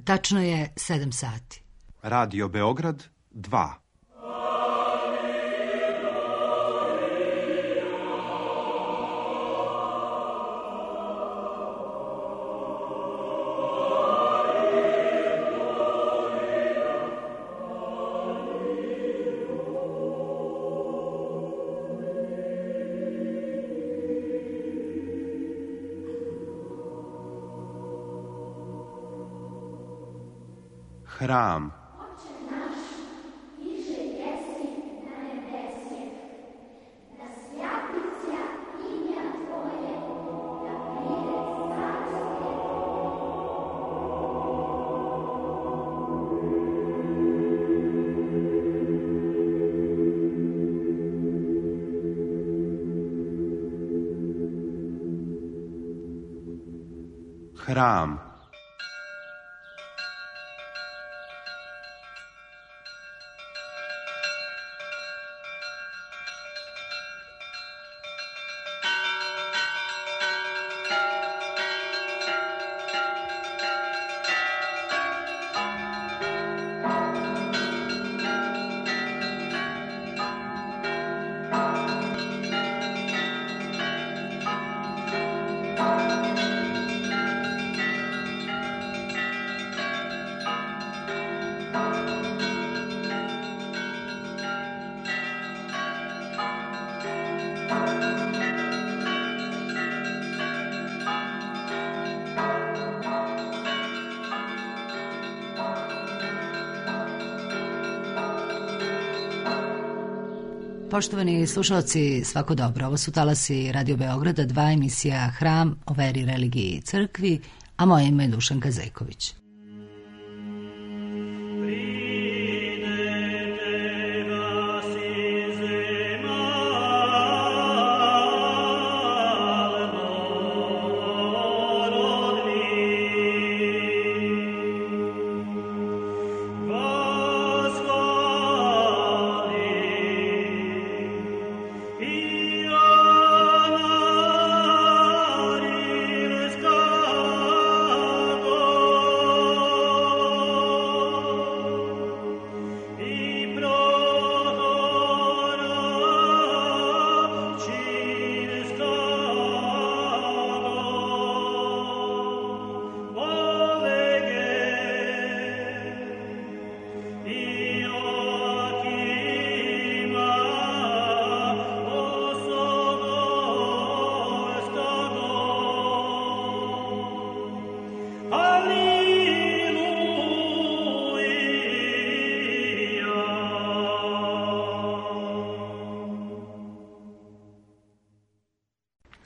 Tačno je 7 sati. Radio Beograd 2. Hram. Hram. Poštovani slušalci, svako dobro. Ovo su talasi Radio Beograda 2, emisija Hram o veri, religiji i crkvi, a moje ime je Dušanka Zejković.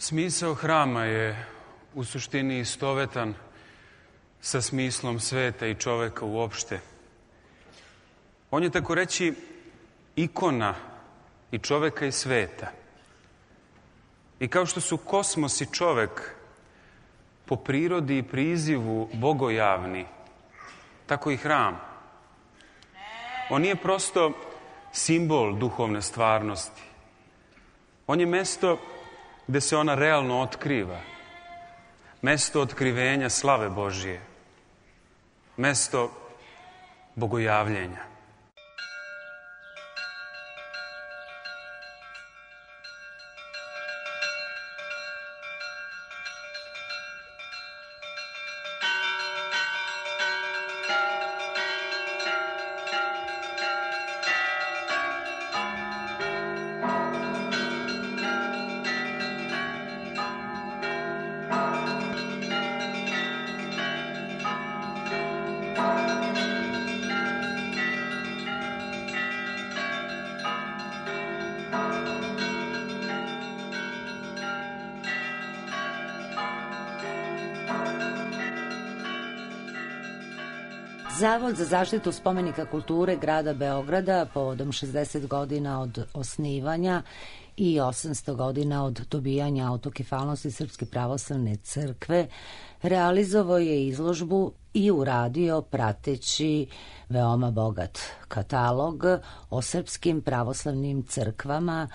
Smisao hrama je u suštini istovetan sa smislom sveta i čoveka uopšte. On je, tako reći, ikona i čoveka i sveta. I kao što su kosmos i čovek po prirodi i prizivu bogojavni, tako i hram. On nije prosto simbol duhovne stvarnosti. On je mesto gde se ona realno otkriva. Mesto otkrivenja slave Božije. Mesto bogojavljenja. Zavod za zaštitu spomenika kulture grada Beograda povodom 60 godina od osnivanja i 800 godina od dobijanja autokefalnosti Srpske pravoslavne crkve realizovao je izložbu i uradio prateći veoma bogat katalog o srpskim pravoslavnim crkvama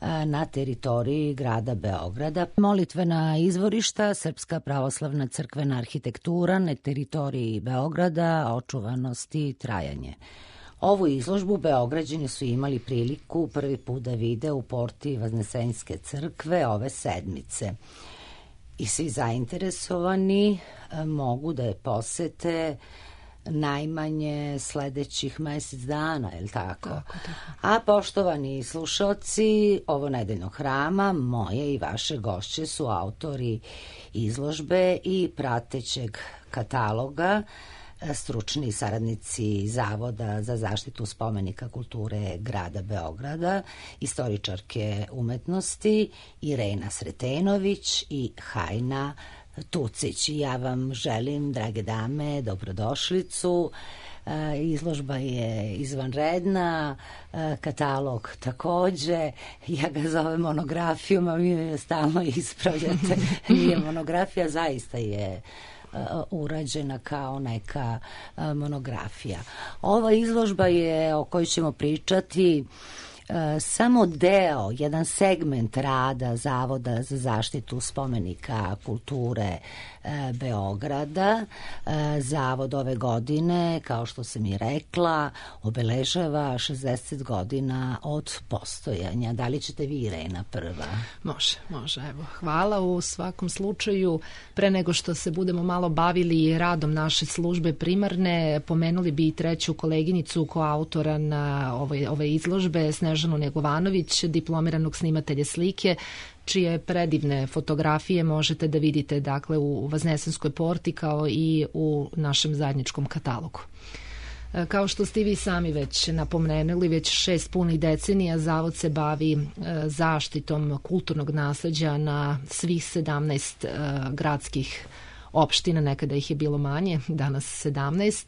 na teritoriji grada Beograda. Molitvena izvorišta, Srpska pravoslavna crkvena arhitektura na teritoriji Beograda, očuvanost i trajanje. Ovu izložbu Beograđani su imali priliku prvi put da vide u porti Vaznesenjske crkve ove sedmice. I svi zainteresovani mogu da je posete najmanje sledećih mesec dana, je li tako? Tako. A poštovani slušalci ovo nedeljnog hrama, moje i vaše gošće su autori izložbe i pratećeg kataloga, stručni saradnici Zavoda za zaštitu spomenika kulture grada Beograda, istoričarke umetnosti Irena Sretenović i Hajna Tucić. Ja vam želim, drage dame, dobrodošlicu. Izložba je izvanredna, katalog takođe, ja ga zovem monografijom, a vi me stalno ispravljate. Nije monografija, zaista je urađena kao neka monografija. Ova izložba je, o kojoj ćemo pričati, samo deo, jedan segment rada Zavoda za zaštitu spomenika kulture Beograda. Zavod ove godine, kao što sam i rekla, obeležava 60 godina od postojanja. Da li ćete vi, Irena, prva? Može. Evo, hvala. U svakom slučaju, pre nego što se budemo malo bavili radom naše službe primarne, pomenuli bi i treću koleginicu koautora na ove izložbe, Snežanu Negovanović, diplomiranog snimatelja slike, čije predivne fotografije možete da vidite, dakle, u Vaznesenskoj porti kao i u našem zajedničkom katalogu. Kao što ste vi sami već napomenuli, već 6 punih decenija Zavod se bavi zaštitom kulturnog nasleđa na svih 17 gradskih opština, nekada ih je bilo manje, danas 17,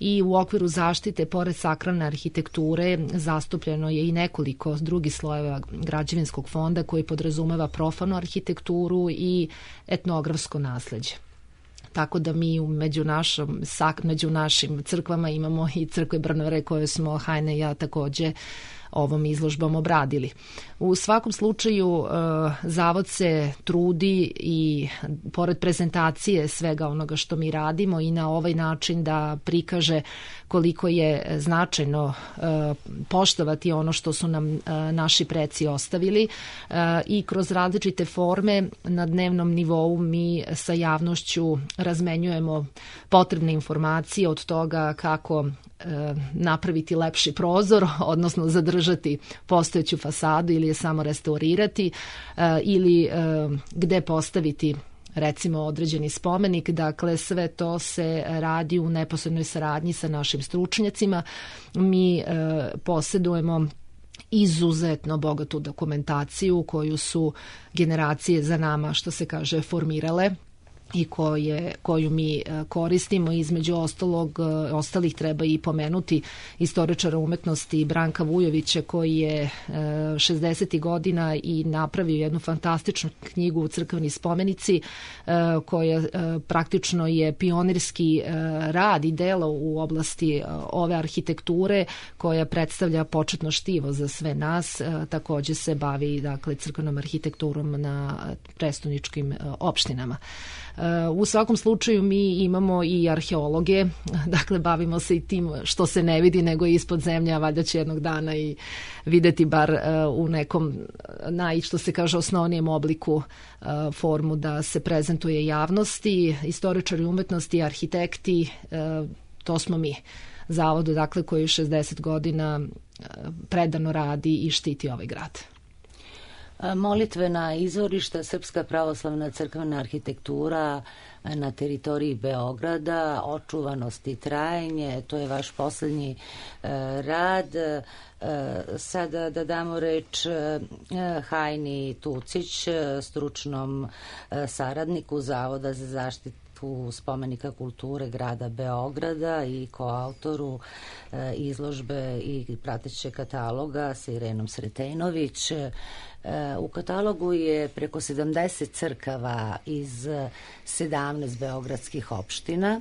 i u okviru zaštite, pored sakralne arhitekture, zastupljeno je i nekoliko drugih slojeva građevinskog fonda koji podrazumeva profanu arhitekturu i etnografsko nasleđe. Tako da mi među našim crkvama imamo i crkve Brnare koje smo Hajne i ja takođe ovom izložbom obradili. U svakom slučaju Zavod se trudi i pored prezentacije svega onoga što mi radimo i na ovaj način da prikaže koliko je značajno poštovati ono što su nam naši preci ostavili, i kroz različite forme na dnevnom nivou mi sa javnošću razmenjujemo potrebne informacije od toga kako napraviti lepši prozor, odnosno zadržati postojeću fasadu ili je samo restaurirati, ili gde postaviti recimo određeni spomenik. Dakle, sve to se radi u neposrednoj saradnji sa našim stručnjacima. Mi posedujemo izuzetno bogatu dokumentaciju koju su generacije za nama, što se kaže, formirale i koju mi koristimo. Između ostalih treba i pomenuti istoričara umetnosti Branka Vujovića, koji je 60. godina i napravio jednu fantastičnu knjigu Crkveni spomenici, koja praktično je pionirski rad i delo u oblasti ove arhitekture, koja predstavlja početno štivo za sve nas. Takođe se bavi, dakle, crkvenom arhitekturom na prestoničkim opštinama. U svakom slučaju mi imamo i arheologe, dakle bavimo se i tim što se ne vidi nego ispod zemlje, a valjda će jednog dana i videti bar u nekom što se kaže osnovnijem obliku formu da se prezentuje javnosti. Istoričari umetnosti, arhitekti, to smo mi. Zavodu, dakle, koji 60 godina predano radi i štiti ovaj grad. Molitvena izvorišta, Srpska pravoslavna crkvena arhitektura na teritoriji Beograda, očuvanost i trajanje, to je vaš poslednji rad. Sada da damo reč Hajni Tucić, stručnom saradniku Zavoda za zaštitu spomenika kulture grada Beograda i koautoru izložbe i prateće kataloga sa Irenom Sretenović. U katalogu je preko 70 crkava iz 17 beogradskih opština,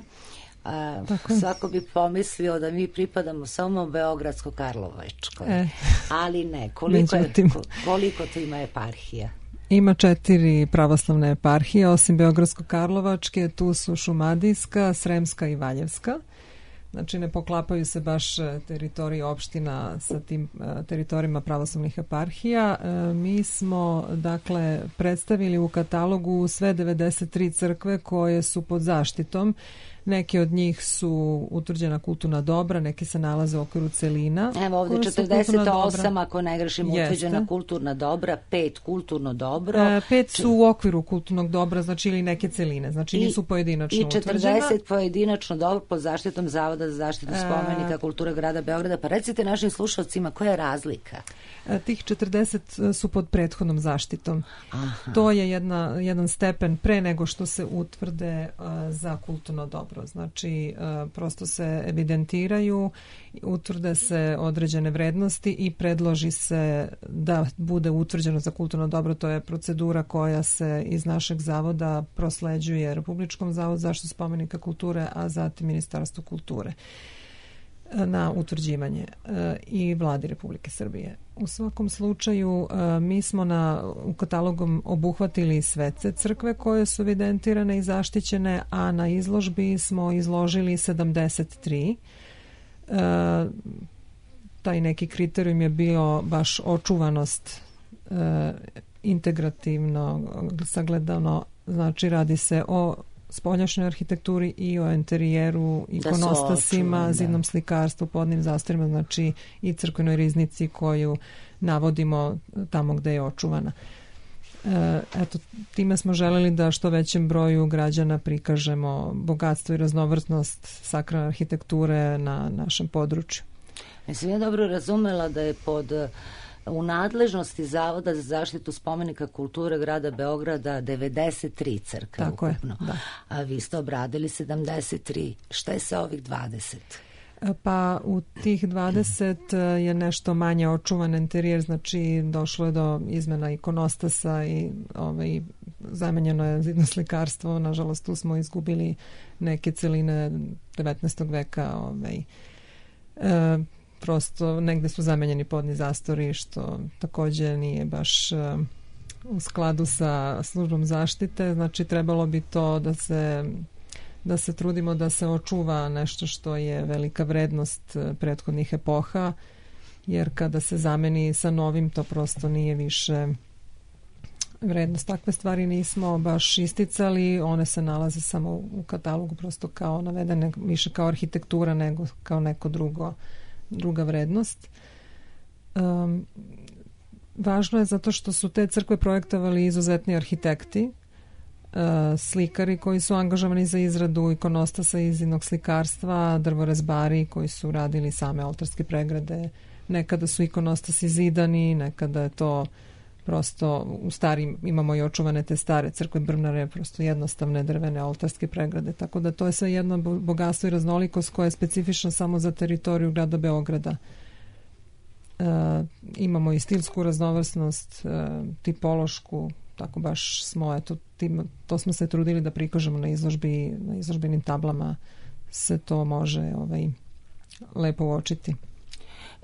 Svako bi pomislio da mi pripadamo samo Beogradsko-Karlovačkoj, ali ne. Koliko to ima eparhija? Ima 4 pravoslavne eparhije, osim Beogradsko-Karlovačke, tu su Šumadijska, Sremska i Valjevska. Znači ne poklapaju se baš teritoriji opština sa tim teritorijima pravoslavnih eparhija. Mi smo dakle predstavili u katalogu sve 93 crkve koje su pod zaštitom. Neke od njih su utvrđena kulturna dobra, neke se nalaze u okviru celina. Evo ovdje 48, ako ne grešim, utvrđena kulturna dobra, 5 kulturno dobro. 5 su u okviru kulturnog dobra, znači ili neke celine, znači nisu pojedinačno utvrđena. I 40 pojedinačno dobro pod zaštitom Zavoda za zaštitu spomenika kulture grada Beograda. Pa recite našim slušalcima koja je razlika? Tih 40 su pod prethodnom zaštitom. Aha. To je jedan stepen pre nego što se utvrde za kulturno dobro. Znači, prosto se evidentiraju, utvrde se određene vrednosti i predloži se da bude utvrđeno za kulturno dobro. To je procedura koja se iz našeg zavoda prosleđuje Republičkom zavodu za zaštitu spomenika kulture, a zatim Ministarstvu kulture na utvrđivanje i Vladi Republike Srbije. U svakom slučaju mi smo u katalogom obuhvatili sve crkve koje su evidentirane i zaštićene, a na izložbi smo izložili 73. Taj neki kriterijum je bio baš očuvanost integrativno sagledano, znači radi se o spoljašnjoj arhitekturi i o enterijeru, ikonostasima, zidnom slikarstvu, podnim zastorima, znači i crkvenoj riznici koju navodimo tamo gde je očuvana. Eto, time smo želeli da što većem broju građana prikažemo bogatstvo i raznovrsnost sakralne arhitekture na našem području. Mislim, ja dobro razumela da je u nadležnosti Zavoda za zaštitu spomenika kulture grada Beograda 93 crkve ukupno. Je, da. A vi ste obradili 73. Šta je sa ovih 20? Pa u tih 20 je nešto manje očuvan enterijer, znači došlo je do izmena ikonostasa i zamenjeno je zidno slikarstvo. Nažalost, tu smo izgubili neke celine 19. veka. Prosto negde su zamenjeni podni zastori, što takođe nije baš u skladu sa službom zaštite. Znači trebalo bi to da se trudimo da se očuva nešto što je velika vrednost prethodnih epoha, jer kada se zameni sa novim, to prosto nije više vrednost. Takve stvari nismo baš isticali, one se nalaze samo u katalogu prosto kao navedene, više kao arhitektura nego kao neko druga vrednost. Važno je zato što su te crkve projektovali izuzetni arhitekti, slikari koji su angažovani za izradu ikonostasa i zidnog slikarstva, drvorezbari koji su radili same oltarske pregrade. Nekada su ikonostasi zidani, nekada je to prosto u starim, imamo i očuvane te stare crkve brvnare, prosto jednostavne drvene oltarske pregrade, tako da to je sve jedno bogatstvo i raznolikost koja je specifična samo za teritoriju grada Beograda. Imamo i stilsku raznovrsnost, tipološku, tako baš smo, to smo se trudili da prikažemo na izložbenim tablama, se to može lepo uočiti.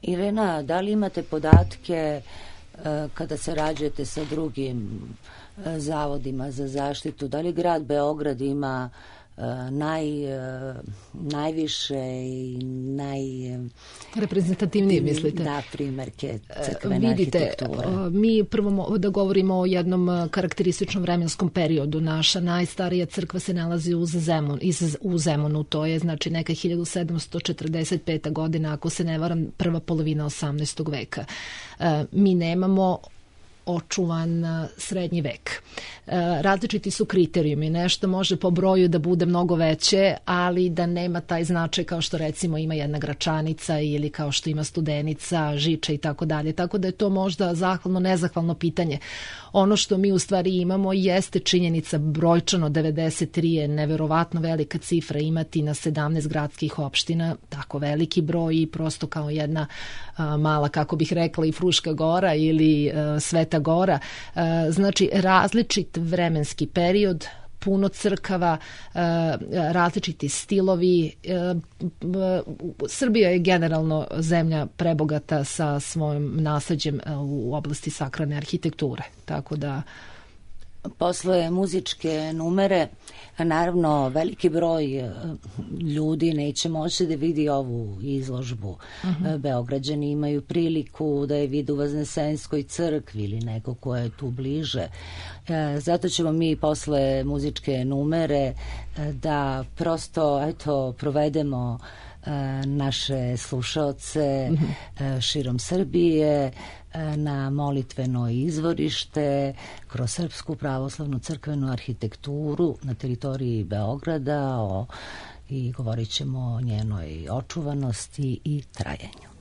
Irena, da li imate podatke kada sarađujete sa drugim zavodima za zaštitu, da li grad Beograd ima najviše i reprezentativnije, mislite? Da, primerke crkvene arhitekture. Mi prvo da govorimo o jednom karakterističnom vremenskom periodu. Naša najstarija crkva se nalazi u Zemunu, to je znači neka 1745. godina, ako se ne varam, prva polovina 18. veka. Mi nemamo očuvan srednji vek. Različiti su kriterijumi. Nešto može po broju da bude mnogo veće, ali da nema taj značaj kao što recimo ima jedna Gračanica ili kao što ima Studenica, Žiča i tako dalje. Tako da je to možda zahvalno, nezahvalno pitanje. Ono što mi u stvari imamo jeste činjenica brojčano 93 je neverovatno velika cifra imati na 17 gradskih opština, tako veliki broj i prosto kao jedna mala, kako bih rekla, i Fruška gora ili Sveta gora. Znači različit vremenski period, puno crkava, različiti stilovi. Srbija je generalno zemlja prebogata sa svojim nasleđem u oblasti sakralne arhitekture, tako da posle muzičke numere, naravno veliki broj ljudi neće moći da vidi ovu izložbu. Beograđani imaju priliku da je vide u Vaznesenskoj crkvi ili neko ko je tu bliže. Zato ćemo mi posle muzičke numere da prosto provedemo naše slušaoce širom Srbije na molitveno izvorište kroz Srpsku pravoslavnu crkvenu arhitekturu na teritoriji Beograda i govorit ćemo o njenoj očuvanosti i trajanju.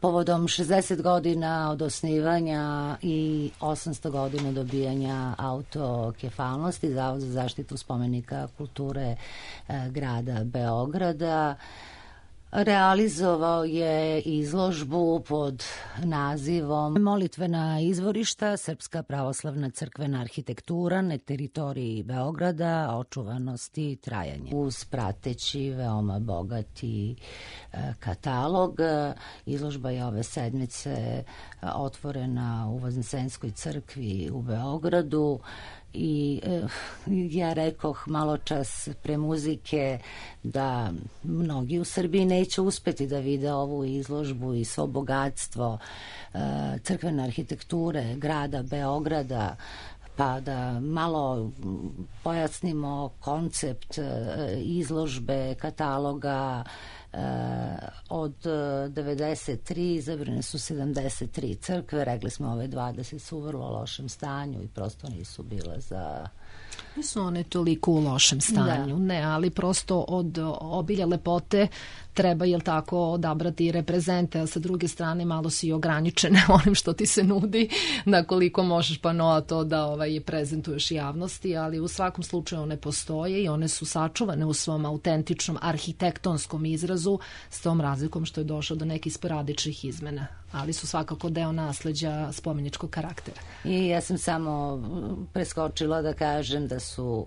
Povodom 60 godina od osnivanja i 800 godina dobijanja autokefalnosti, Zavod za zaštitu spomenika kulture grada Beograda realizovao je izložbu pod nazivom Molitvena izvorišta, Srpska pravoslavna crkvena arhitektura na teritoriji Beograda, očuvanost i trajanje. Uz prateći veoma bogati katalog, izložba je ove sedmice otvorena u Vaznesenskoj crkvi u Beogradu I ja rekoh malo čas pre muzike da mnogi u Srbiji neće uspeti da vide ovu izložbu i svo bogatstvo crkvene arhitekture grada Beograda, pa da malo pojasnimo koncept izložbe, kataloga. Od 93 izabrane su 73 crkve, rekli smo ove 20 su u vrlo lošem stanju i prosto nisu bile za... Nisu one toliko u lošem stanju, ne, ali prosto od obilja lepote treba, jel tako, odabrati reprezente, a sa druge strane malo si ograničene onim što ti se nudi, na koliko možeš panoa to da prezentuješ javnosti, ali u svakom slučaju one postoje i one su sačuvane u svom autentičnom arhitektonskom izrazu, s tom razlikom što je došlo do nekih sporadičnih izmena, ali su svakako deo nasleđa spomeničkog karaktera. I ja sam samo preskočila da kažem da su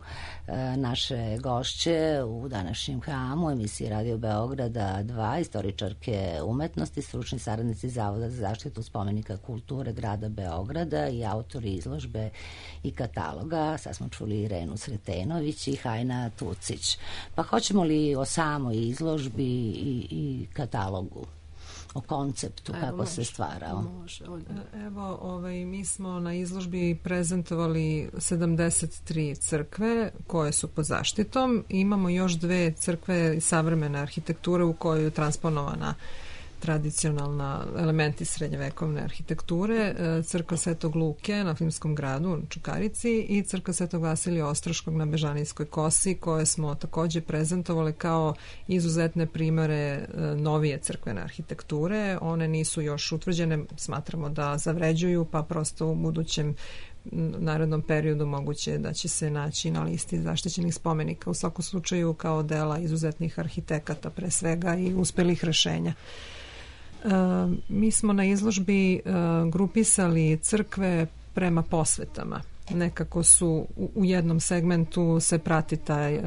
naše gošće u današnjem hramu emisiji Radio Beograda 2, istoričarke umetnosti, stručni saradnici Zavoda za zaštitu spomenika kulture grada Beograda i autori izložbe i kataloga. Sad smo čuli Irenu Sretenović i Hajna Tucić. Pa hoćemo li o samoj izložbi i katalogu? O konceptu, kako se stvarao. Evo, mi smo na izložbi prezentovali 73 crkve koje su pod zaštitom. Imamo još 2 crkve savremene arhitekture u kojoj je transponovana tradicionalna elementi srednjevekovne arhitekture, crkva Svetog Luke na Filmskom gradu u Čukarici i crkva Svetog Vasilija Ostroškog na Bežanijskoj kosi, koje smo takođe prezentovali kao izuzetne primere novije crkvene arhitekture. One nisu još utvrđene, smatramo da zavređuju, pa prosto u budućem narednom periodu moguće da će se naći na listi zaštićenih spomenika, u svakom slučaju kao dela izuzetnih arhitekata pre svega i uspelih rešenja. Mi smo na izložbi grupisali crkve prema posvetama. Nekako su u jednom segmentu se prati taj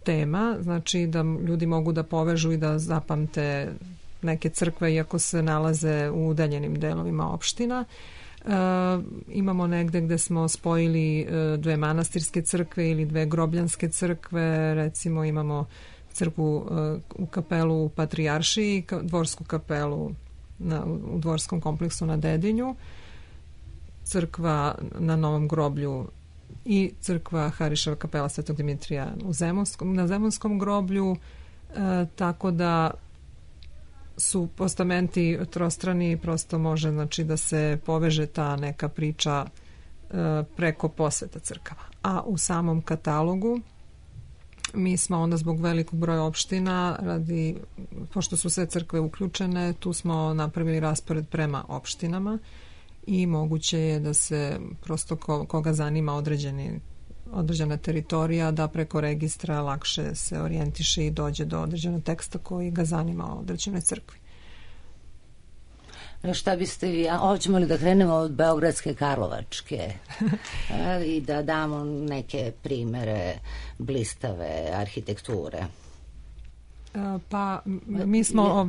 tema, znači da ljudi mogu da povežu i da zapamte neke crkve iako se nalaze u udaljenim delovima opština. Imamo negde gde smo spojili 2 manastirske crkve ili 2 grobljanske crkve, recimo imamo crkvu u kapelu u Patrijaršiji, dvorsku kapelu u dvorskom kompleksu na Dedinju, crkva na Novom groblju i crkva Hariševa kapela Svetog Dimitrija na Zemunskom groblju, tako da su postamenti trostrani, prosto može znači da se poveže ta neka priča preko posveta crkava. A u samom katalogu mi smo onda zbog velikog broja opština, pošto su sve crkve uključene, tu smo napravili raspored prema opštinama i moguće je da se prosto koga zanima određena teritorija, da preko registra lakše se orijentiše i dođe do određenog teksta koji ga zanima o određenoj crkvi. Šta biste vi, hoćemo li da krenemo od Beogradske, Karlovačke i da damo neke primere blistave arhitekture? Pa mi smo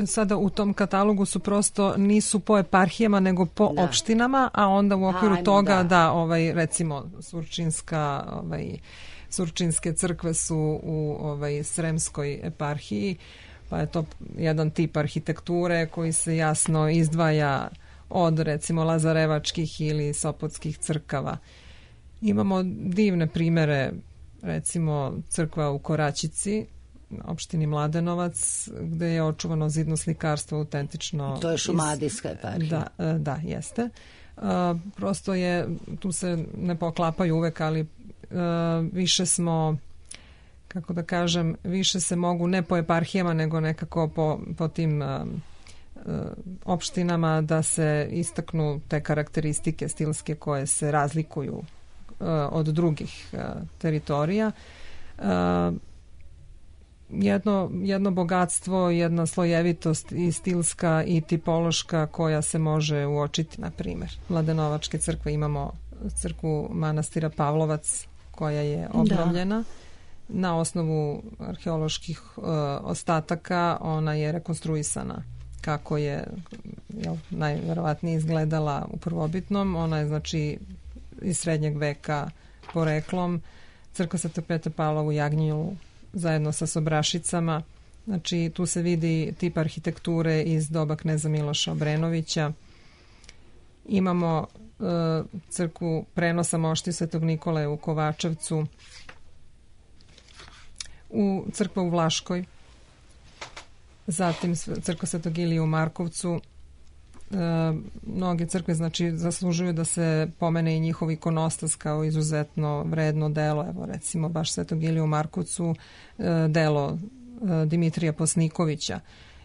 sada u tom katalogu su prosto nisu po eparhijama nego po opštinama, a onda u okviru toga recimo Surčinske crkve su u Sremskoj eparhiji, pa je to jedan tip arhitekture koji se jasno izdvaja od recimo lazarevačkih ili sopotskih crkava. Imamo divne primere, recimo crkva u Koračici, opštini Mladenovac, gde je očuvano zidno slikarstvo autentično. To je šumadijska eparhija. Da, jeste. Prosto je, tu se ne poklapaju uvek, ali više smo, kako da kažem, više se mogu ne po eparhijama, nego nekako po tim opštinama da se istaknu te karakteristike stilske koje se razlikuju od drugih teritorija. Jedno bogatstvo, jedna slojevitost i stilska i tipološka koja se može uočiti, na primjer. Mladenovačke crkve, imamo crkvu manastira Pavlovac koja je obnovljena. Na osnovu arheoloških ostataka ona je rekonstruisana kako je najverovatnije izgledala u prvobitnom. Ona je znači iz srednjeg veka poreklom. Crkva Svetog Petra Pavla u Jagnjelu zajedno sa Sobrašicama. Znači, tu se vidi tip arhitekture iz doba kneza Miloša Obrenovića. Imamo crkvu prenosa mošti Svetog Nikole u Kovačevcu, crkva u Vlaškoj, zatim crkva Svetog Ilije u Markovcu. Mnoge crkve, znači, zaslužuju da se pomene i njihov ikonostas kao izuzetno vredno delo. Evo, recimo, baš Svetog Ilije u Markovcu, delo Dimitrija Posnikovića.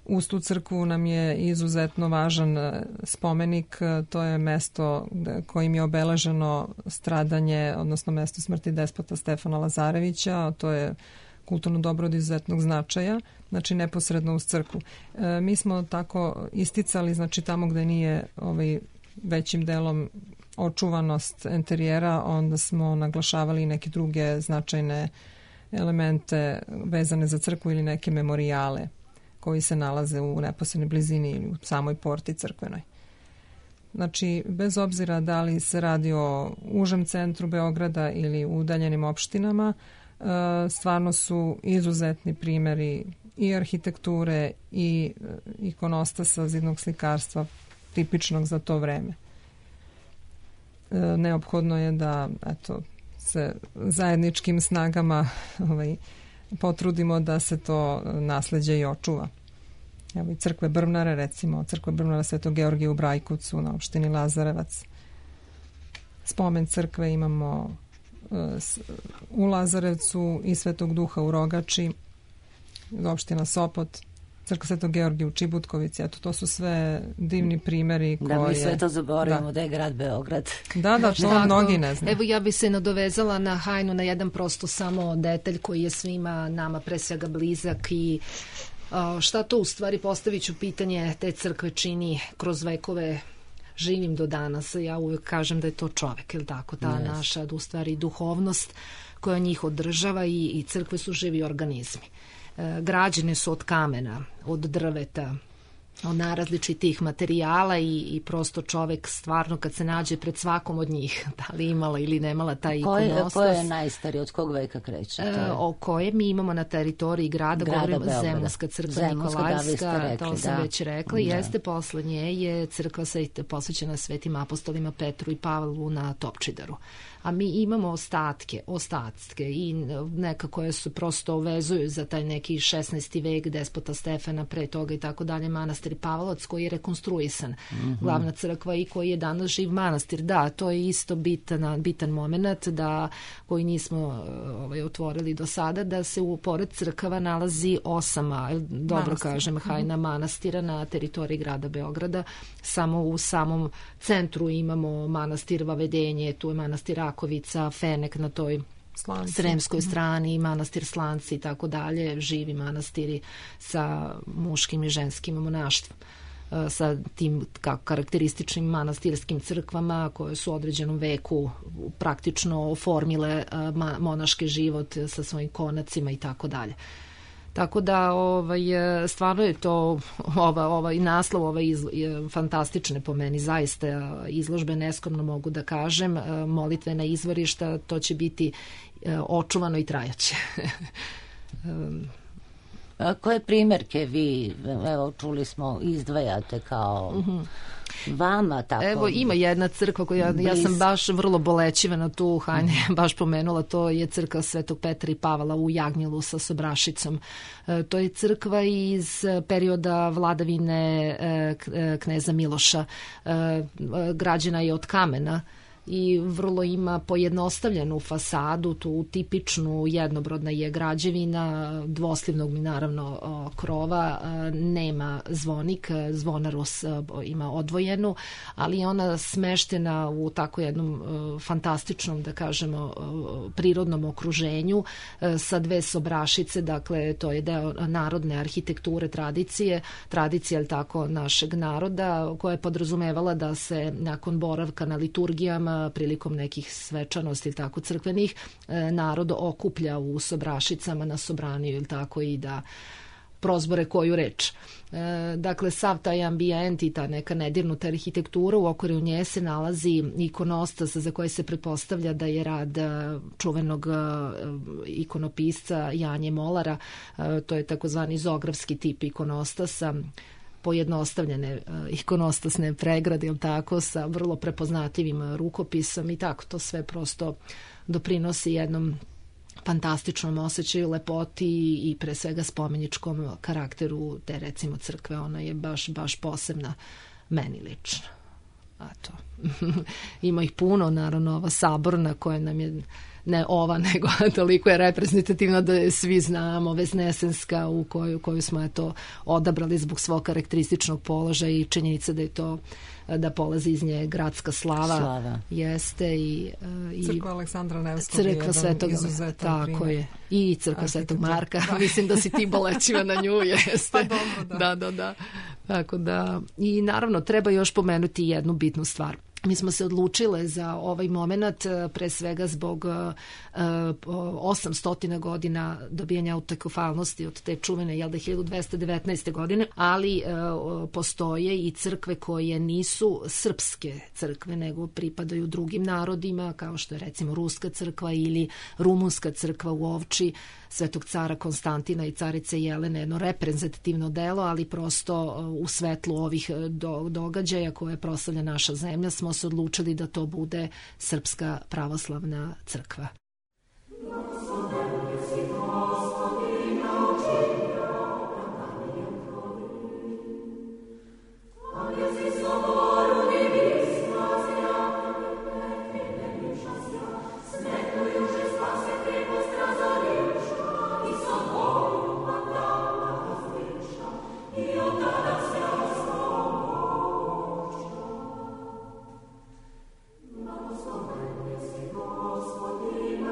Uz tu crkvu nam je izuzetno važan spomenik, to je mesto kojim je obeleženo stradanje, odnosno mesto smrti despota Stefana Lazarevića, to je kulturno dobro od izuzetnog značaja, znači neposredno uz crkvu. Mi smo tako isticali, znači tamo gde nije većim delom očuvanost enterijera, onda smo naglašavali neke druge značajne elemente vezane za crkvu ili neke memorijale koji se nalaze u neposrednoj blizini ili u samoj porti crkvenoj. Znači, bez obzira da li se radi o užem centru Beograda ili u udaljenim opštinama, stvarno su izuzetni primjeri i arhitekture i ikonostasa, zidnog slikarstva tipičnog za to vreme. Neophodno je da se zajedničkim snagama potrudimo da se to nasleđe i očuva. Evo i crkve Brvnare, recimo crkva Brvnara Svetog Georgija u Brajkovcu na opštini Lazarevac. Spomen crkve imamo u Lazarevcu i Svetog Duha u Rogači, opština Sopot, crkva Svetog Georgija u Čibutkovici. Eto, to su sve divni primjeri koje... Da mi sve to zaboravimo da je grad Beograd. Da, to mnogi ne znaju. Evo, ja bi se nadovezala na Hajnu, na jedan prosto samo detalj koji je svima nama pre svega blizak i šta to u stvari, postavit ću pitanje, te crkve čini kroz vekove živim do danas. Ja uvijek kažem da je to čovek, je li tako? Ta naša, u stvari, duhovnost koja njih održava i crkve su živi organizmi. Građene su od kamena, od drveta, od najrazličitih materijala i prosto čovek stvarno kad se nađe pred svakom od njih, da li imala ili nemala taj ikonostas. Ko je najstariji, od kog veka kreće? O koje mi imamo na teritoriji grada govorimo Zemunska crkva Nikolajska, to sam već rekla. Jeste, posle nje je crkva posvećena svetim apostolima Petru i Pavlu na Topčidaru. A mi imamo ostatke i neka koje se prosto vezuju za taj neki 16. vek despota Stefana, pre toga i tako dalje, manastir Pavlovac koji je rekonstruisan, glavna crkva i koji je danas živ manastir. Da, to je isto bitan moment koji nismo otvorili do sada, da se pored crkava nalazi 8, dobro kažem, Hajna manastira na teritoriji grada Beograda. Samo u samom centru imamo manastir Vavedenje, tu je manastir Rakovica, Fenek na toj sremskoj strani, manastir Slanci i tako dalje, živi manastiri sa muškim i ženskim monaštvom, sa tim karakterističnim manastirskim crkvama koje su u određenom veku praktično oformile monaški život sa svojim konacima i tako dalje. Tako da stvarno je to ovaj naslov fantastične po meni, zaista izložbe, neskromno mogu da kažem, molitvena izvorišta, to će biti očuvano i trajaće. Koje primjerke vi, evo čuli smo, izdvajate kao vama tako? Evo ima jedna crkva koju ja sam baš vrlo bolećiva na tu Hajne baš pomenula, to je crkva Svetog Petra i Pavla u Jagnjelu sa Sobrašicom. To je crkva iz perioda vladavine kneza Miloša. Građena je od kamena i vrlo ima pojednostavljenu fasadu, tu tipičnu jednobrodna je građevina, dvoslivnog mi naravno krova, nema zvonik, zvonaros ima odvojenu, ali je ona smeštena u tako jednom fantastičnom, da kažemo, prirodnom okruženju sa 2 sobrašice, dakle to je deo narodne arhitekture, tradicije, ali tako našeg naroda, koja je podrazumevala da se nakon boravka na liturgijama prilikom nekih svečanosti ili tako crkvenih, narod okuplja u Sobrašicama na Sobraniju ili tako i da prozbore koju reč. Dakle, sav taj ambijent i ta neka nedirnuta arhitektura, u okviru nje se nalazi ikonostas za koje se pretpostavlja da je rad čuvenog ikonopisca Janje Molara. To je takozvani zografski tip ikonostasa, pojednostavljene ikonostasne pregrade, ili tako, sa vrlo prepoznatljivim rukopisom i tako. To sve prosto doprinosi jednom fantastičnom osjećaju, lepoti i pre svega spomeničkom karakteru te, recimo, crkve. Ona je baš posebna meni lično. Eto. Ima ih puno, naravno, ova saborna koja nam je, ne ova, nego toliko je reprezentativna da je svi znamo, Vesnesenska u koju smo eto odabrali zbog svog karakterističnog položaja i činjenica da je to, da polazi iz nje gradska slava. Jeste i crkva Aleksandra Nevskog, crkva Svetog, tako je, i crkva Svetog Marka. Mislim da si ti bolećiva na nju, jeste. Pa dobro, da. Tako da, i naravno treba još pomenuti jednu bitnu stvar. Mi smo se odlučile za ovaj moment pre svega zbog 800 godina dobijanja autokefalnosti od te čuvene 1219. godine, ali postoje i crkve koje nisu srpske crkve, nego pripadaju drugim narodima, kao što je recimo Ruska crkva ili Rumunska crkva u Ovči Svetog cara Konstantina i carice Jelene, jedno reprezentativno delo, ali prosto u svetlu ovih događaja koje proslavlja naša zemlja smo se odlučili da to bude Srpska pravoslavna crkva. Господи,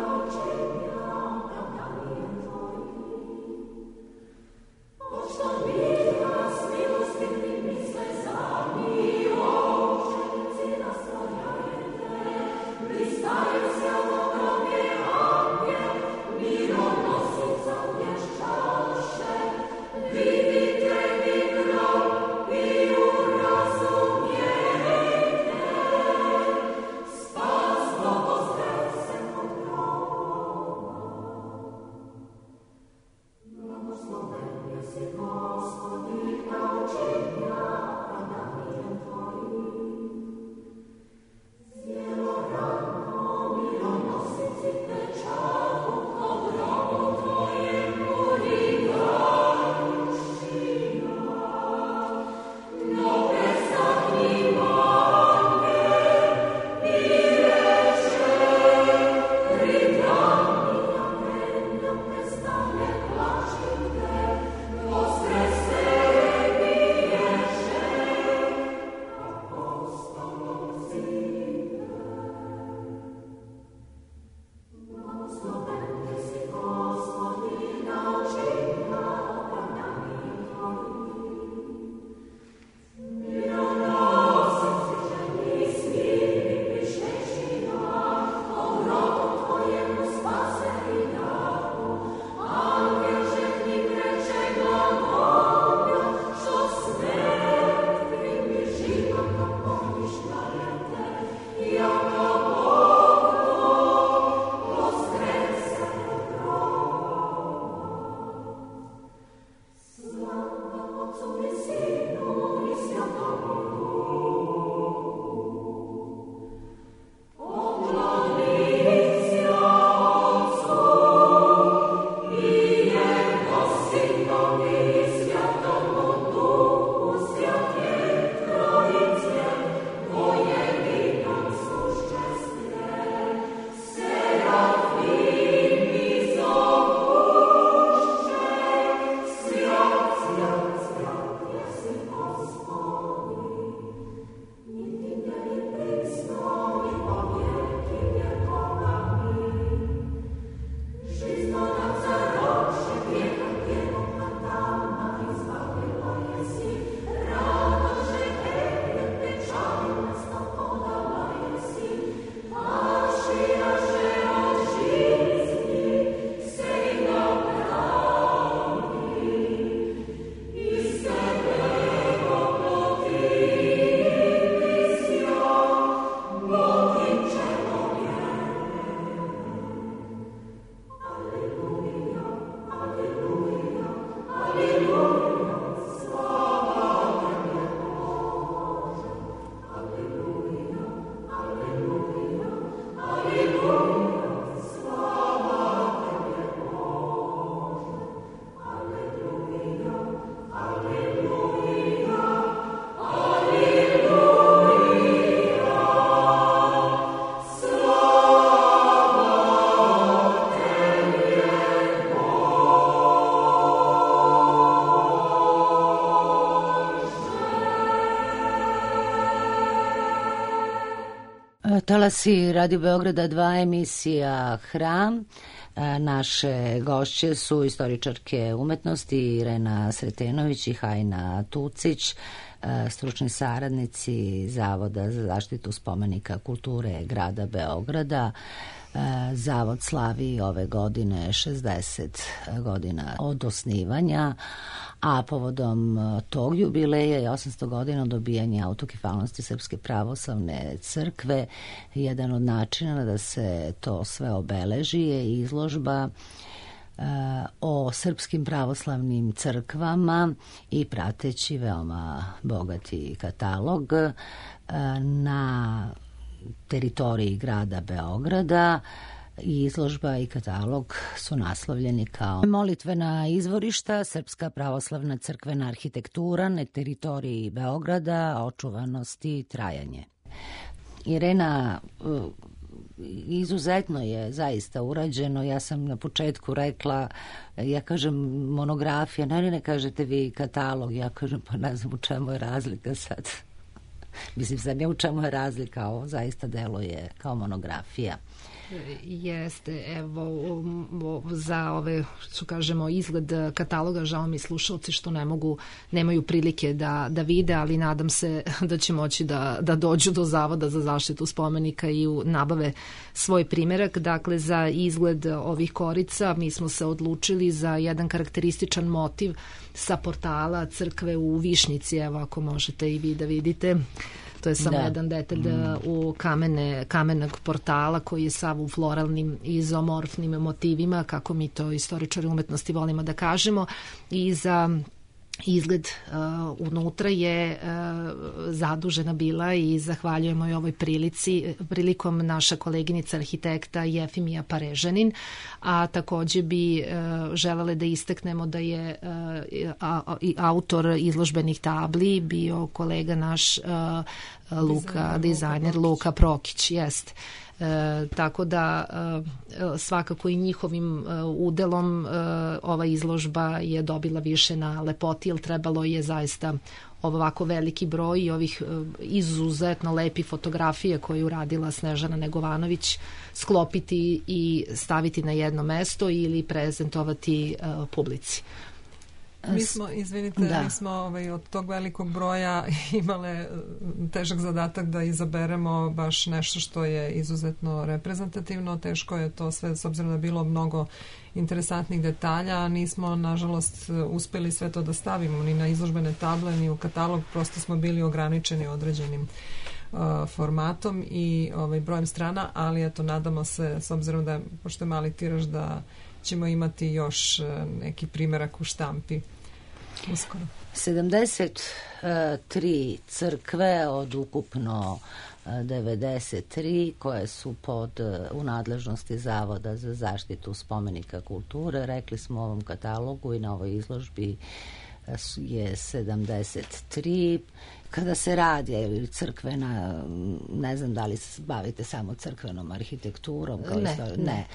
Talasi Radio Beograda 2, emisija Hram. Naše gošće su istoričarke umetnosti Irena Sretenović i Hajna Tucić, stručni saradnici Zavoda za zaštitu spomenika kulture grada Beograda. Zavod slavi ove godine 60 godina od osnivanja, a povodom tog jubileja je 800 godina dobijanja autokefalnosti Srpske pravoslavne crkve. Jedan od načina da se to sve obeleži je izložba o srpskim pravoslavnim crkvama i prateći veoma bogati katalog na teritoriji grada Beograda. Izložba i katalog su naslovljeni kao molitvena izvorišta, Srpska pravoslavna crkvena arhitektura na teritoriji Beograda, očuvanost i trajanje. Irena, izuzetno je zaista urađeno. Ja sam na početku rekla, ja kažem monografija, ne kažete vi katalog, ja kažem pa ne znam u čemu je razlika sad. Mislim, znam ja u čemu je razlika, ovo zaista deluje kao monografija. Jeste, evo za ove, što kažemo, izgled kataloga, žao mi slušalci što nemaju prilike da vide, ali nadam se da će moći da dođu do Zavoda za zaštitu spomenika i nabave svoj primjerak. Dakle, za izgled ovih korica mi smo se odlučili za jedan karakterističan motiv sa portala crkve u Višnjici, evo ako možete i vi da vidite. To je samo jedan detalj u kamenog portala koji je sav u floralnim izomorfnim motivima, kako mi to istoričari umetnosti volimo da kažemo, i za izgled unutra je zadužena bila i zahvaljujemo i ovoj prilikom naša koleginica arhitekta Jefimija Parežanin, a takođe bi želele da istaknemo da je autor izložbenih tabli bio kolega naš dizajner Luka Prokić, jest. Tako da svakako i njihovim udelom ova izložba je dobila više na lepoti, jer trebalo je zaista ovako veliki broj ovih izuzetno lepi fotografije koje je uradila Snežana Negovanović sklopiti i staviti na jedno mesto ili prezentovati publici. Mi smo, mi smo od tog velikog broja imale težak zadatak da izaberemo baš nešto što je izuzetno reprezentativno. Teško je to sve, s obzirom da je bilo mnogo interesantnih detalja. Nismo, nažalost, uspeli sve to da stavimo ni na izložbene table, ni u katalog. Prosto smo bili ograničeni određenim formatom i brojem strana, ali eto, nadamo se, s obzirom da, pošto je mali tiraž, da ćemo imati još neki primjerak u štampi uskoro. 73 crkve od ukupno 93 koje su u nadležnosti Zavoda za zaštitu spomenika kulture. Rekli smo u ovom katalogu i na ovoj izložbi je 73. Kada se radi crkvena, ne znam da li se bavite samo crkvenom arhitekturom, kao ne.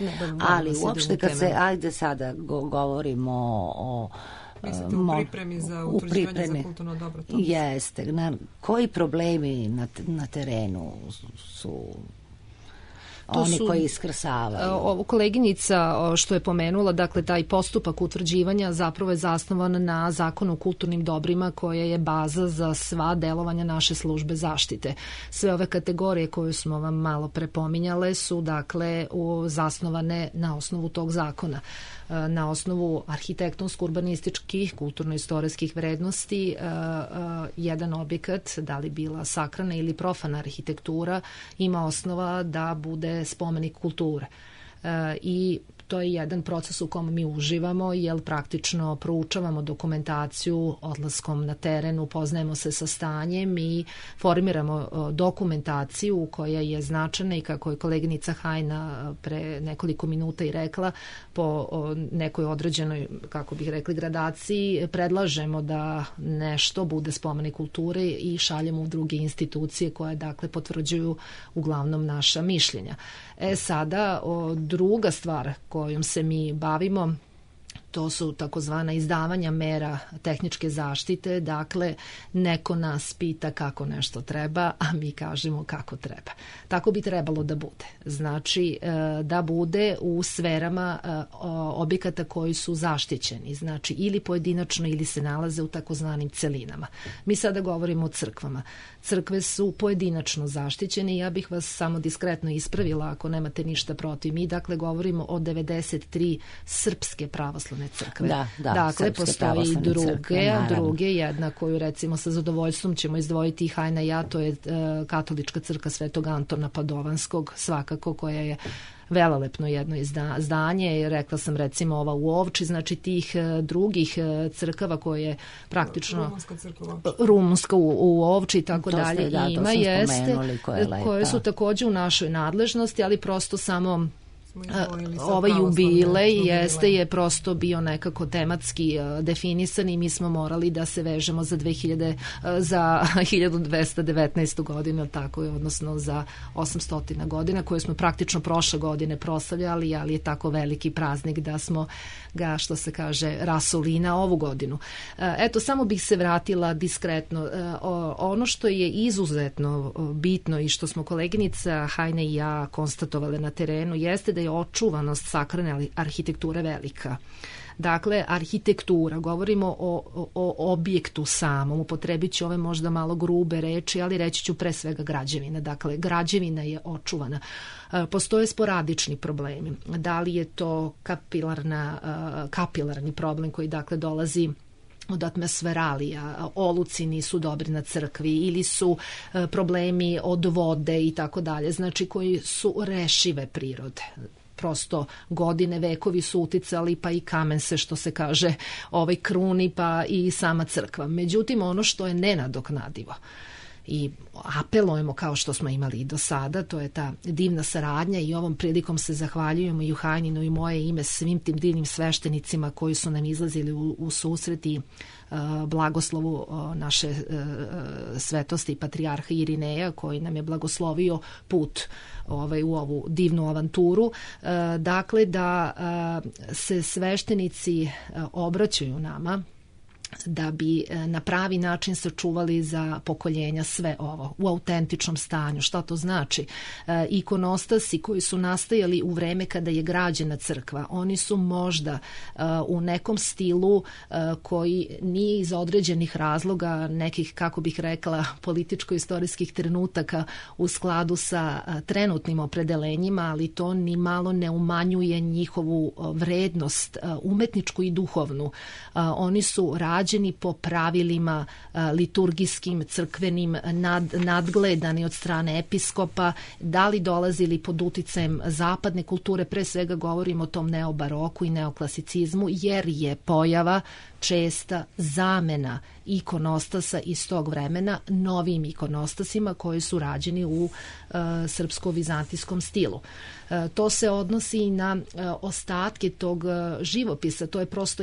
Ali uopšte kad se, ajde sada govorimo o mislite u pripremi za utvrđivanje za kulturno dobro? Jeste. Koji problemi na terenu su oni koji iskrsavaju? Ovo koleginica što je pomenula, dakle taj postupak utvrđivanja zapravo je zasnovan na Zakonu o kulturnim dobrima koja je baza za sva delovanja naše službe zaštite. Sve ove kategorije koje smo vam malo prepominjale su dakle zasnovane na osnovu tog zakona. Na osnovu arhitektonsko-urbanističkih, kulturno-istorijskih vrednosti jedan objekat, da li bila sakrana ili profana arhitektura, ima osnova da bude spomenik kulture. I to je jedan proces u kom mi uživamo, jer praktično proučavamo dokumentaciju odlaskom na teren, upoznajemo se sa stanjem i formiramo dokumentaciju koja je značajna i kako je koleginica Hajna pre nekoliko minuta i rekla, po nekoj određenoj, kako bih rekli, gradaciji predlažemo da nešto bude spomenik kulture i šaljemo u druge institucije koje dakle potvrđuju uglavnom naša mišljenja. Sada druga stvar kojom se mi bavimo To su takozvana izdavanja mera tehničke zaštite, dakle neko nas pita kako nešto treba, a mi kažemo kako treba. Tako bi trebalo da bude. Znači da bude u sferama objekata koji su zaštićeni, znači ili pojedinačno ili se nalaze u takozvanim celinama. Mi sada govorimo o crkvama. Crkve su pojedinačno zaštićene i ja bih vas samo diskretno ispravila ako nemate ništa protiv. Mi dakle govorimo o 93 srpske pravoslavne crkve. Dakle, postoje i druge, jedna koju recimo sa zadovoljstvom ćemo izdvojiti i Hajna i ja, to je katolička crkva Svetog Antona Padovanskog, svakako, koja je velelepno jedno izdanje, rekla sam recimo ova u Ovči, znači tih drugih crkava koje praktično Rumunska u Ovči i tako dalje ima, jeste, koje su takođe u našoj nadležnosti, ali prosto samo ovaj jubilej je prosto bio nekako tematski definisan i mi smo morali da se vežemo za 1219. godinu, tako je, odnosno za 800 godina koje smo praktično prošle godine proslavljali, ali je tako veliki praznik da smo ga, što se kaže, rasuli na ovu godinu. Eto, samo bih se vratila diskretno. Ono što je izuzetno bitno i što smo koleginica Hajna i ja konstatovali na terenu jeste da je očuvanost sakralne arhitekture velika. Dakle, arhitektura, govorimo o objektu samom, upotrebit ću ove možda malo grube reči, ali reći ću pre svega građevina. Dakle, građevina je očuvana. Postoje sporadični problemi. Da li je to kapilarni problem koji dakle dolazi od atmosferalija, oluci nisu dobri na crkvi ili su problemi od vode i tako dalje, znači koji su rešive prirode. Prosto godine, vekovi su uticali, pa i kamen se, što se kaže, kruni, pa i sama crkva. Međutim, ono što je nenadoknadivo i apelujemo kao što smo imali i do sada, to je ta divna saradnja i ovom prilikom se zahvaljujemo i u Hajnino i moje ime svim tim divnim sveštenicima koji su nam izlazili u susret i blagoslovu naše svetosti patrijarha Irineja koji nam je blagoslovio put u ovu divnu avanturu. Dakle, da se sveštenici obraćaju nama da bi na pravi način sačuvali za pokoljenja sve ovo u autentičnom stanju. Šta to znači? Ikonostasi koji su nastajali u vreme kada je građena crkva, oni su možda u nekom stilu koji nije iz određenih razloga, nekih, kako bih rekla, političko-istorijskih trenutaka u skladu sa trenutnim opredelenjima, ali to ni malo ne umanjuje njihovu vrednost umetničku i duhovnu. Oni su rađeni po pravilima liturgijskim, crkvenim, nadgledani od strane episkopa, da li dolazili pod uticajem zapadne kulture, pre svega govorimo o tom neobaroku i neoklasicizmu, jer je pojava česta zamena ikonostasa iz tog vremena novim ikonostasima koji su rađeni u srpsko-vizantijskom stilu. To se odnosi i na ostatke tog živopisa. To je prosto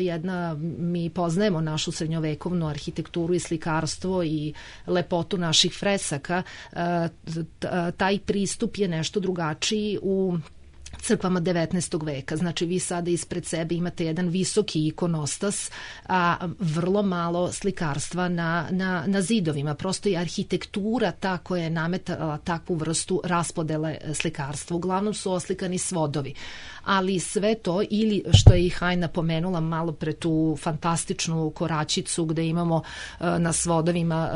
mi poznajemo našu srednjovekovnu arhitekturu i slikarstvo i lepotu naših fresaka. Taj pristup je nešto drugačiji u crkvama 19. veka. Znači, vi sada ispred sebe imate jedan visoki ikonostas, a vrlo malo slikarstva na zidovima. Prosto je arhitektura ta koja je nametala takvu vrstu raspodele slikarstva. Uglavnom su oslikani svodovi. Ali sve to, ili što je i Hajna pomenula malo pre tu fantastičnu koračicu gde imamo na svodovima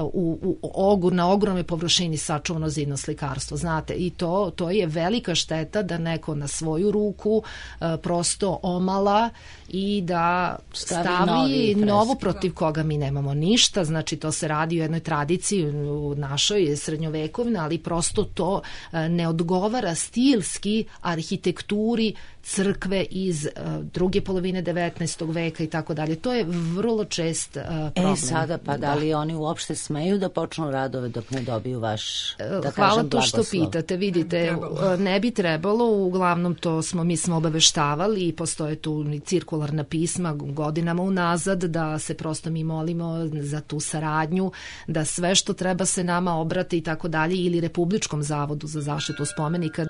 na ogromnoj površini sačuvano zidno slikarstvo. Znate, i to je velika šteta da neko na svoju ruku prosto omala i da stavi novo protiv koga mi nemamo ništa. Znači, to se radi u jednoj tradiciji u našoj srednjovekovnoj, ali prosto to ne odgovara stilski arhitekturi crkve iz druge polovine 19. veka i tako dalje. To je vrlo čest problem. Sada pa da li oni uopšte smeju da počnu radove dok ne dobiju vaš, da hvala kažem, to blagoslov? što pitate. Vidite, ne bi trebalo, uglavnom mi smo obaveštavali i postoje tu cirkularna pisma godinama unazad da se prosto mi molimo za tu saradnju, da sve što treba se nama obrate i tako dalje, ili Republičkom zavodu za zaštitu spomenika.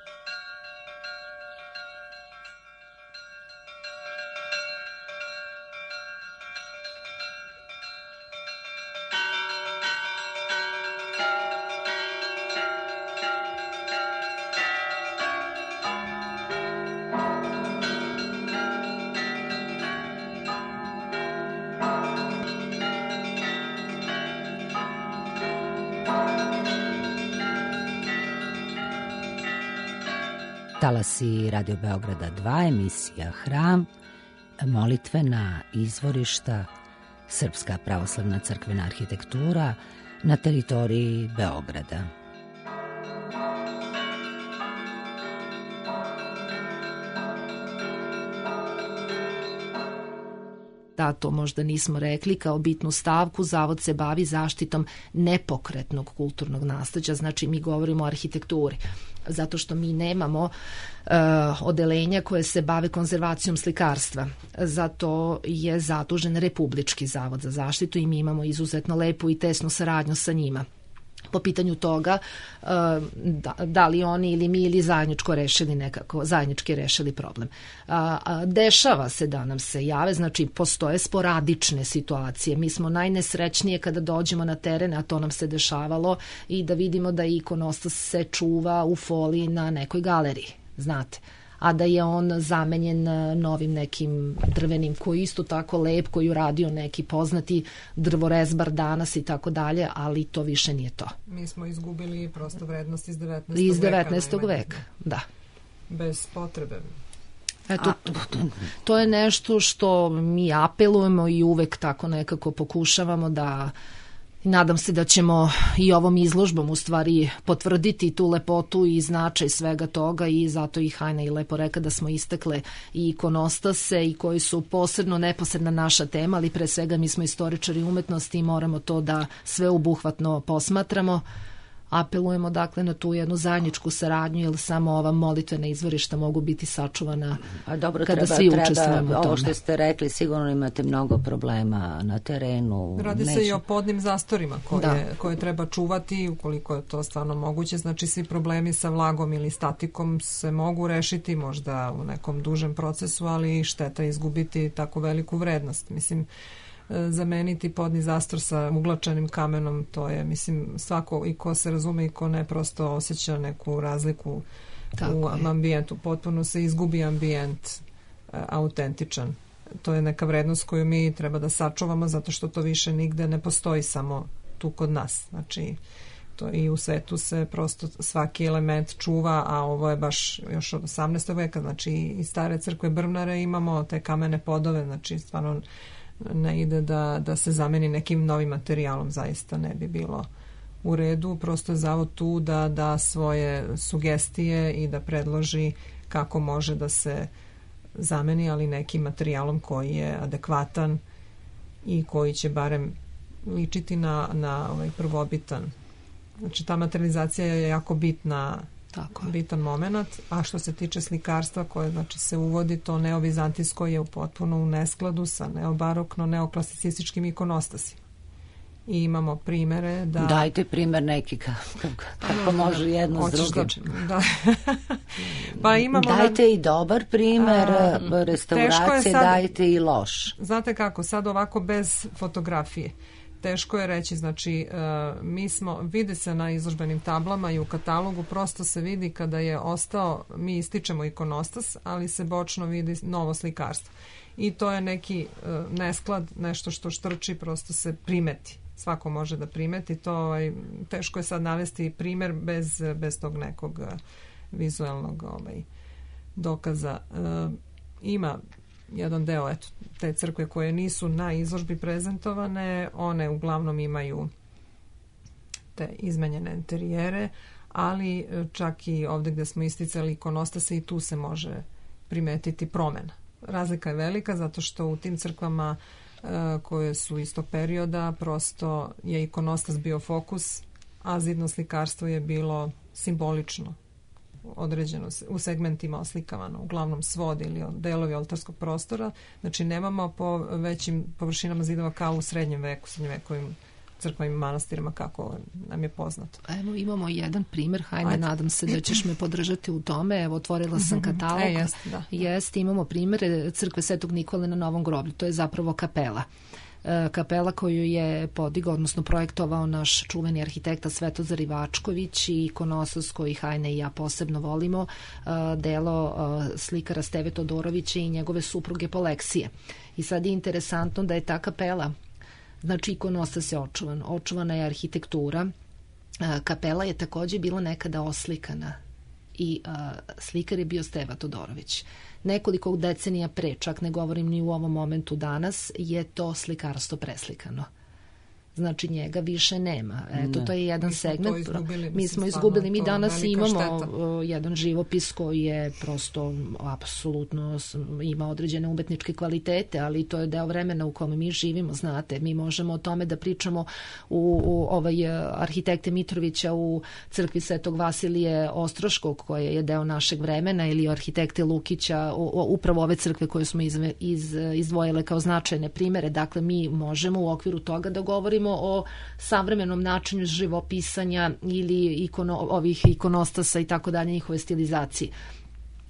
Talasi Radio Beograda 2, emisija Hram, molitvena izvorišta, Srpska pravoslavna crkvena arhitektura na teritoriji Beograda. Da, to možda nismo rekli, kao bitnu stavku, Zavod se bavi zaštitom nepokretnog kulturnog nasleđa, znači mi govorimo o arhitekturi, zato što mi nemamo odelenja koje se bave konzervacijom slikarstva. Zato je zadužen Republički zavod za zaštitu i mi imamo izuzetno lepu i tesnu saradnju sa njima. Po pitanju toga da li oni ili mi ili zajednički rešili problem. Dešava se da nam se jave, znači postoje sporadične situacije. Mi smo najnesrećnije kada dođemo na teren, a to nam se dešavalo, i da vidimo da ikonostas se čuva u foliji na nekoj galeriji, znate, a da je on zamenjen novim nekim drvenim koji isto tako lep, koji uradio neki poznati drvorezbar danas i tako dalje, ali to više nije to. Mi smo izgubili prosto vrednost iz 19. veka. Iz 19. veka, da. Bez potrebe. Eto, to je nešto što mi apelujemo i uvek tako nekako pokušavamo da, nadam se da ćemo i ovom izložbom u stvari potvrditi tu lepotu i značaj svega toga, i zato i Hajna i lepo reka da smo istakle i ikonostase i koji su posebno neposredna naša tema, ali pre svega mi smo istoričari umetnosti i moramo to da sveobuhvatno posmatramo. Apelujemo dakle na tu jednu zajedničku saradnju, jer samo ova molitvena izvorišta mogu biti sačuvana kada svi učestvujemo u tome. Ovo što ste rekli, sigurno imate mnogo problema na terenu. Radi se i o podnim zastorima koje treba čuvati ukoliko je to stvarno moguće. Znači svi problemi sa vlagom ili statikom se mogu rešiti možda u nekom dužem procesu, ali šteta izgubiti tako veliku vrednost. Mislim, zameniti podni zastor sa uglačanim kamenom, to je, mislim, svako i ko se razume i ko ne prosto osjeća neku razliku u ambijentu. Potpuno se izgubi ambijent autentičan. To je neka vrednost koju mi treba da sačuvamo, zato što to više nigde ne postoji, samo tu kod nas. Znači, to i u svetu se prosto svaki element čuva, a ovo je baš još od 18. veka, znači i stare crkve Brvnare imamo te kamene podove, znači stvarno ne ide da se zameni nekim novim materijalom, zaista ne bi bilo u redu. Prosto je zavod tu da da svoje sugestije i da predloži kako može da se zameni, ali nekim materijalom koji je adekvatan i koji će barem ličiti na ovaj prvobitan. Znači ta materializacija je jako bitna, bitan moment, a što se tiče slikarstva koje znači se uvodi, to neovizantijsko je potpuno u neskladu sa neobarokno neoklasicističkim ikonostasima. I imamo primere da... Dajte primer neki kako može jedno s drugim. Da. Pa imamo dajte i dobar primer restauracije, dajte i loš. Znate kako, sad ovako bez fotografije. Teško je reći, znači vidi se na izložbenim tablama i u katalogu, prosto se vidi kada je ostao, mi ističemo ikonostas, ali se bočno vidi novo slikarstvo. I to je neki nesklad, nešto što štrči, prosto se primeti. Svako može da primeti to, teško je sad navesti primer bez tog nekog vizualnog dokaza. Ima jedan deo te crkve koje nisu na izložbi prezentovane, one uglavnom imaju te izmenjene interijere, ali čak i ovdje gdje smo isticali ikonostase i tu se može primetiti promjena. Razlika je velika zato što u tim crkvama koje su istog perioda prosto je ikonostas bio fokus, a zidno slikarstvo je bilo simbolično određeno, u segmentima oslikavano, uglavnom svod ili delovi oltarskog prostora. Znači nemamo po većim površinama zidova kao u srednjevekovim crkvama i manastirima kako nam je poznato. Evo imamo jedan primjer, Hajne, nadam se da ćeš me podržati u tome. Evo otvorila sam katalog. Jeste, imamo primjer crkve Svetog Nikole na Novom groblju. To je zapravo kapela. Kapela koju je podigao, odnosno projektovao naš čuveni arhitekta Svetozar Ivačković i ikonostas koji Hajne i ja posebno volimo, delo slikara Steve Todorovića i njegove supruge Poleksije. I sad je interesantno da je ta kapela, znači ikonostas je očuvana je arhitektura. Kapela je također bila nekada oslikana i slikar je bio Steva Todorović. Nekoliko decenija pre, čak ne govorim ni u ovom momentu danas, je to slikarstvo preslikano. Znači njega više nema. Eto, to je jedan segment. Mi smo izgubili. Mi danas imamo jedan živopis koji je prosto apsolutno ima određene umetničke kvalitete, ali to je deo vremena u kome mi živimo, znate. Mi možemo o tome da pričamo u arhitekte Mitrovića u crkvi Svetog Vasilije Ostroškog, koje je deo našeg vremena, ili arhitekte Lukića, upravo ove crkve koje smo izdvojile kao značajne primere. Dakle, mi možemo u okviru toga da govorimo o savremenom načinu živopisanja ili ovih ikonostasa i tako dalje, njihove stilizacije.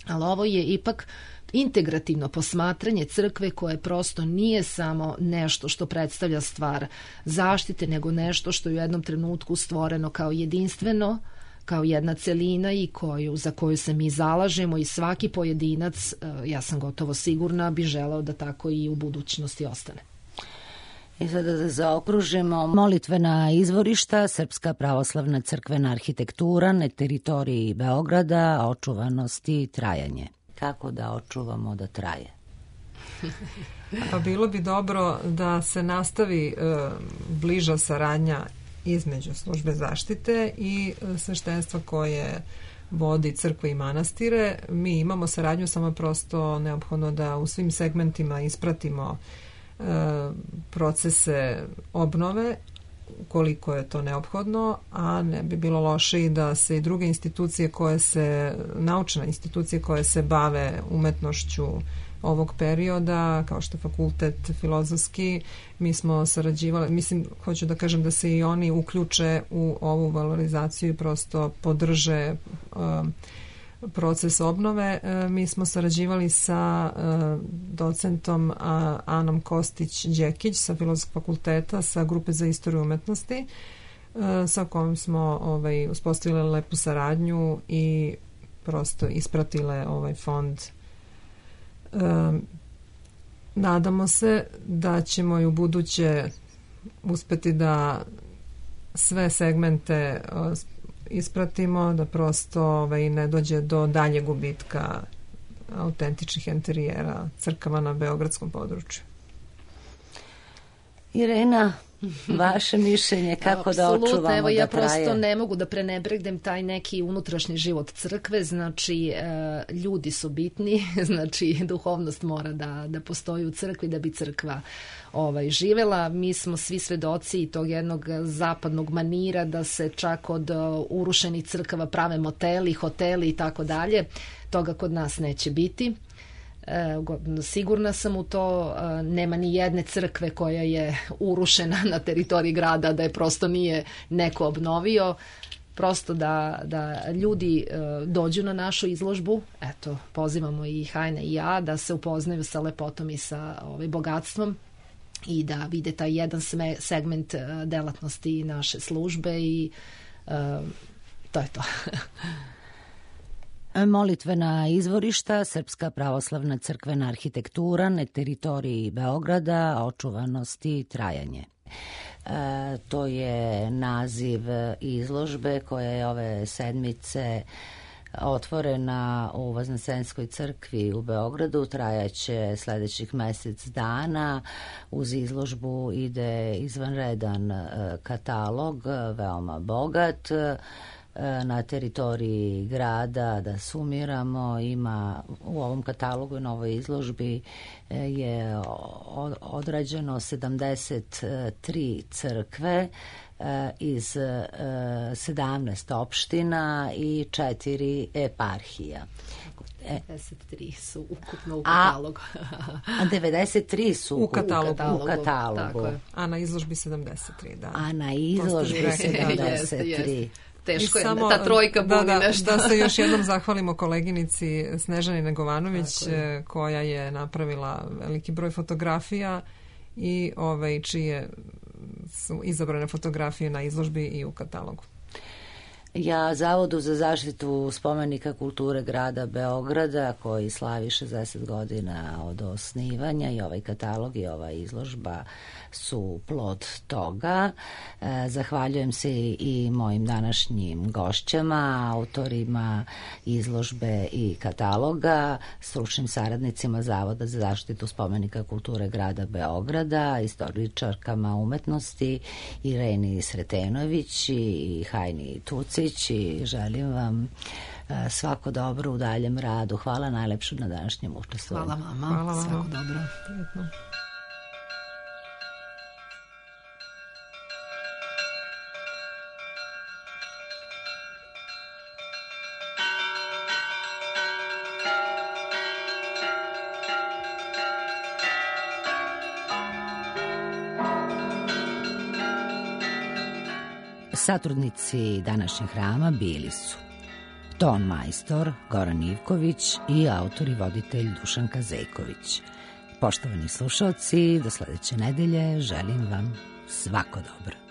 Ali ovo je ipak integrativno posmatranje crkve koje prosto nije samo nešto što predstavlja stvar zaštite, nego nešto što je u jednom trenutku stvoreno kao jedinstveno, kao jedna celina i za koju se mi zalažemo i svaki pojedinac, ja sam gotovo sigurna, bi želeo da tako i u budućnosti ostane. I sada da zaokružimo, molitvena izvorišta, Srpska pravoslavna crkvena arhitektura na teritoriji Beograda, očuvanost i trajanje. Kako da očuvamo da traje? Pa bilo bi dobro da se nastavi bliža saradnja između službe zaštite i sveštenstva koje vodi crkve i manastire. Mi imamo saradnju, samo prosto neophodno da u svim segmentima ispratimo procese obnove koliko je to neophodno, a ne bi bilo loše i da se i druge institucije naučne institucije koje se bave umetnošću ovog perioda, kao što je fakultet filozofski, mi smo sarađivali, hoću da kažem da se i oni uključe u ovu valorizaciju i prosto podrže proces obnove. Mi smo sarađivali sa docentom Anom Kostić-Đekić sa Filozofskog fakulteta, sa grupe za istoriju umetnosti, sa kojom smo uspostavili lepu saradnju i prosto ispratile ovaj fond. Nadamo se da ćemo i u buduće uspeti da sve segmente ispratimo, da prosto ne dođe do daljeg gubitka autentičnih enterijera crkava na beogradskom području. Irena, vaše mišljenje kako da očuvamo da traje? Evo, ja prosto ne mogu da prenebregnem taj neki unutrašnji život crkve, znači ljudi su bitni, znači duhovnost mora da postoji u crkvi da bi crkva živela. Mi smo svi svedoci tog jednog zapadnog manira da se čak od urušenih crkava prave moteli, hoteli i tako dalje. Toga kod nas neće biti. Sigurna sam u to, nema ni jedne crkve koja je urušena na teritoriji grada da je prosto nije neko obnovio. Prosto da ljudi dođu na našu izložbu, eto, pozivamo i Hajna i ja da se upoznaju sa lepotom i sa bogatstvom i da vide taj jedan segment delatnosti naše službe i to je to. Molitvena izvorišta, Srpska pravoslavna crkvena arhitektura na teritoriji Beograda, očuvanost i trajanje. To je naziv izložbe koja je ove sedmice otvorena u Vaznesenskoj crkvi u Beogradu, trajaće sledećih mesec dana. Uz izložbu ide izvanredan katalog, veoma bogat. Na teritoriji grada, da sumiramo, ima u ovom katalogu i na ovoj izložbi je odrađeno 73 crkve iz 17 opština i 4 eparhija. 93 su ukupno u katalogu. A 93 su u katalogu. Tako je. A na izložbi 73, da. A na izložbi 73. Teško je, ta trojka buni nešto. Da se još jednom zahvalimo koleginici Snežani Negovanović koja je napravila veliki broj fotografija i čije su izabrane fotografije na izložbi i u katalogu. Ja Zavodu za zaštitu spomenika kulture grada Beograda, koji slavi 60 godina od osnivanja, i ovaj katalog i ova izložba su plod toga. Zahvaljujem se i mojim današnjim gošćama, autorima izložbe i kataloga, stručnim saradnicima Zavoda za zaštitu spomenika kulture grada Beograda, istoričarkama umetnosti Ireni Sretenović i Hajni Tucić, i želim vam svako dobro u daljem radu. Hvala najlepše na današnjem učestvovanju. Hvala vama. Hvala vama. Svako dobro. Prijetno. Satrudnici današnjeg hrama bili su ton majstor Goran Ivković i autor i voditelj Dušanka Zejković. Poštovani slušalci, do sledeće nedelje želim vam svako dobro.